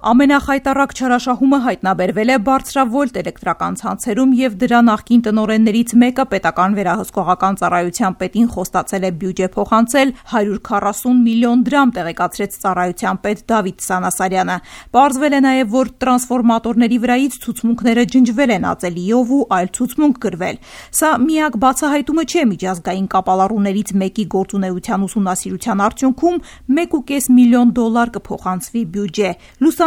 Ամենախայտառակ չարաշահումը հայտնաբերվել է բարձրավոլտ էլեկտրական ցանցերում եւ դրա նախկին տնօրեններից մեկը պետական վերահսկողական ծառայության պետին խոստացել է բյուջե փոխանցել 140 միլիոն դրամ, տեղեկացրեց ծառայության պետ Դավիթ Սանասարյանը։ Պարզվել է նաեւ, որ տրանսֆորմատորների վրայից ցուցմունքները ջնջվել են ածելիով ու այլ ցուցմունք գրվել։ Սա միակ բացահայտումը չէ, միջազգային կապալառուներից մեկի գործունեության ուսումնասիրության արդյունքում $1.5 միլիոն կփոխանցվի բյուջե։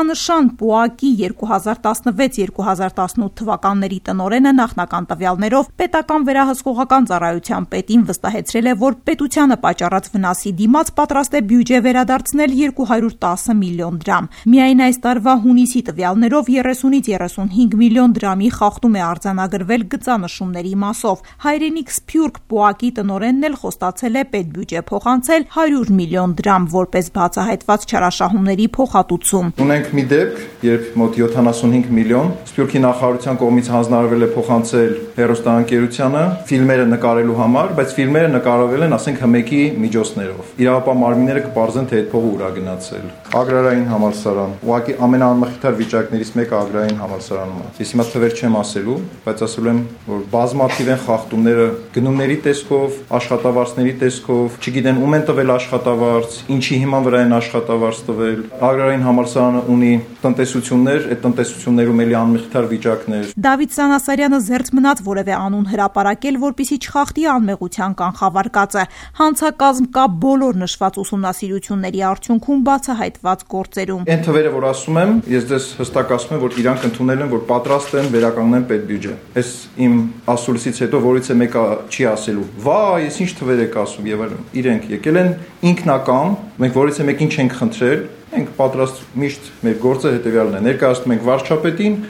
Նշան ՊՈԱԿ-ի 2016-2018 թվականների տնօրենը նախնական տվյալներով պետական վերահսկողական ծառայության պետին վստահեցրել է, որ պետությանը պատճառած վնասի դիմաց պատրաստ է բյուջե վերադարձնել 210 միլիոն դրամ։ Միայն այս տարվա հունիսի տվյալներով 30-ից 35 միլիոն դրամի խախտում է արձանագրվել գծանշումների մասով։ Հայրենիք Սփյուռք ՊՈԱԿ-ի տնօրենն էլ խոստացել է պետբյուջե փոխանցել 100 միլիոն դրամ որպես բացահայտված չարաշահումների փոխհատուցում։ Ունենք մի դեպք, երբ մոտ 75 միլիոն Սփյուռքի նախարարության կողմից հանձնարարվել է փոխանցել հեռուստաընկերությանը ֆիլմերը նկարելու համար, բայց ֆիլմերը նկարվել են, ասենք, հմեկի միջոցներով։ Իրավապահ մարմինները կպարզեն, թե այդ փողը ուր է գնացել։ Ագրարային համալսարան, ուղղակի ամենաանմխիթար վիճակներից մեկը ագրարային համալսարանում է։ Ես հիմա թվեր չեմ ասելու, բայց ասելու եմ, որ բազմաթիվ են խախտումները գնումների տեսքով, աշխատավարձների տեսքով, չգիտեն ում են տվել աշխատավարձ, ինչի հիման վրա են աշխատավարձ տվել։ Ագրարային համալսարանը ունի տնտեսություններ, այդ տնտեսություններում էլի անմխիթար վիճակներ։ Դավիթ Սանասարյանը զերծ մնաց որևէ անուն հրապարակել, որպեսզի չխախտի անմեղության կանխավարկածը։ Հանցակազմ կա բոլոր նշված ուսումնասիրությունների արդյունքում բացահայտված գործերում։ Այն թվերը, որ ասում եմ, ես ձեզ հստակ ասում եմ, որ իրանք ընդունել են, որ պատրաստ են վերականգնեն պետբյուջե։ Այս իմ ասուլիսից հետո որից է մեկը չի ասելու. «Վայ, ես ինչ թվեր եք ասում» եւ այլն։ Իրենք եկել են ինքնական, մենք որից է մեկին չենք խնդրել, ենք պատրաստ միշտ մեր գործը հետևյալն է. ներկայացնում ենք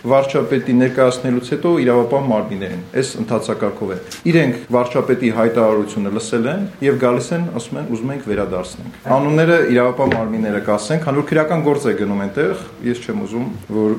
վարչապետի ներկայացնելուց հետո իրավապահ մարմիններին։ Այս ընթացակարգով է։ Իրենք վարչապետի հայտարարությունը լսել են եւ գալիս են, ասում են, ուզում ենք վերադարձնենք։ Անունները իրավապահ մարմինները կասեն, քանի որ քրեական գործ է գնում այնտեղ, ես չեմ ուզում,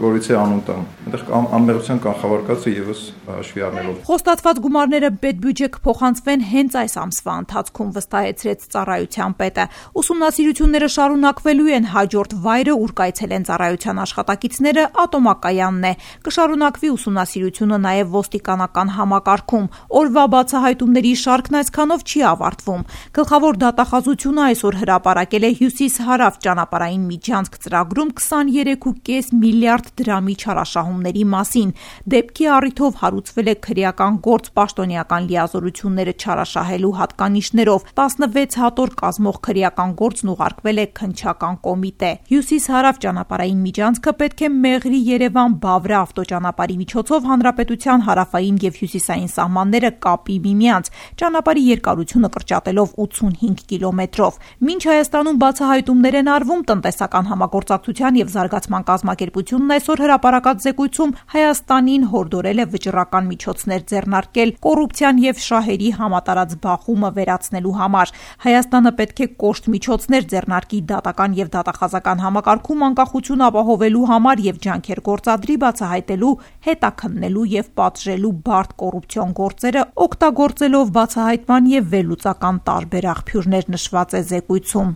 որից է անուն տամ։ Այնտեղ անմեղության կանխավարկածը եւս հաշվի առնելով։ Խոստացված գումարները պետբյուջե կփոխանցվեն հենց այս ամսվա ընթացքում, վստահեցրեց ծառայության պետը։ Ուսումնասիրությունները շարունակվելու են, հաջորդ վայրը, ուր կայցելեն ծառայության աշխատակիցները, ատոմակայանն է։ Կշարունակվի ուսումնասիրությունը նաև ոստիկանական համակարգում։ Օրվա բացահայտումների շարքն այսքանով չի ավարտվում։ Գլխավոր դատախազությունը այսօր հրապարակել է Հյուսիս-Հարավ ճանապարհային միջանցք ծրագրում 23.5 միլիարդ դրամի չարաշահումների մասին։ Դեպքի առիթով հարուցվել է քրեական գործ պաշտոնեական լիազորությունները չարաշահելու հատկանիշներով։ 16 հատոր կազմող քրեական գործն ուղարկվել է քննչական կոմիտե։ Հյուսիս-Հարավ ճանապարհային միջանցքը պետք է Մեղրի Երևան-Բավրա ավտոճանապարհի միջոցով հանրապետության հարավային եւ հյուսիսային սահմանները կապի միմյանց, ճանապարհի երկարությունը կրճատելով 85 կիլոմետրով։ Մինչ Հայաստանում բացահայտումներ են արվում, տնտեսական համագործակցության եւ զարգացման կազմակերպությունն այսօր հրապարակած զեկույցում Հայաստանին հորդորել է վճռական միջոցներ ձեռնարկել կոռուպցիան եւ շահերի համատարած բախումը վերացնելու համար։ Հայաստանը պետք է կոշտ միջոցներ ձեռնարկի դատական եւ դատախազական համակարգում անկախություն ապահովելու համար եւ ջանքեր գործադրի բացահայտելու, հետաքննելու եւ պատժելու բարդ կոռուպցիոն գործերը, օգտագործելով բացահայտման եւ վերլուծական տարբեր աղբյուրներ, նշված է զեկույցում։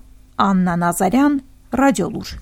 Աննա Նազարյան, Ռադիոլուր։